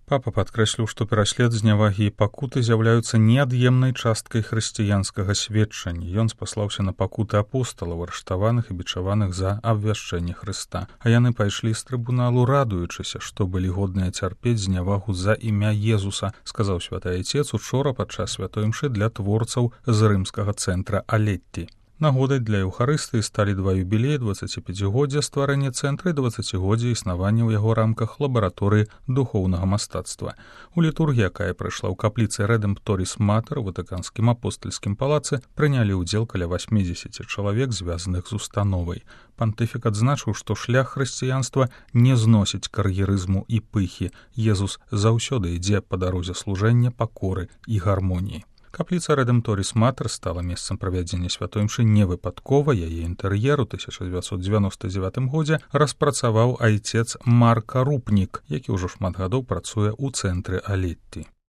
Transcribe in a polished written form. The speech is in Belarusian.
Папа падкрэсліў, што пераслед знявагі і пакуты з'яўляюцца неад'емнай часткай хрысціянскага сведчання. Ён спаслаўся на пакуты апосталаў, арыштаваных і бичаваных за абвяшчэнне Хрыста. А яны пайшлі з трыбуналу, радуючыся, што былі годныя цярпець знявагу за імя Езуса, сказаў святы айцец учора падчас святой імшы для творцаў з рымскага цэнтра Алетті. Нагодай для Еўхарыстыі сталі два юбілеі 25годдзя стварэння цэнтра і 20годдзя існавання ў яго рамках лабараторыі духоўнага мастацтва. У літургіі, якая прайшла ў капліцы Рэдэмпторіс Матэр у Ватыканскім апостальскім палацы, прынялі ўдзел каля 80 чалавек, звязаных з установай. Пантыфік адзначыў, што шлях хрысціянства не зносіць кар'ерызму і пыхі. Езус заўсёды ідзе па дарозе служэння, пакоры і гармоніі. Капліца Рэдэмпторіс Матэр стала месцам правядзення святой імшы не выпадкова. Яе інтэр'ер у 1999 годзе распрацаваў айцец Марка Рупнік, які ўжо шмат гадоў працуе ў цэнтры Алетті.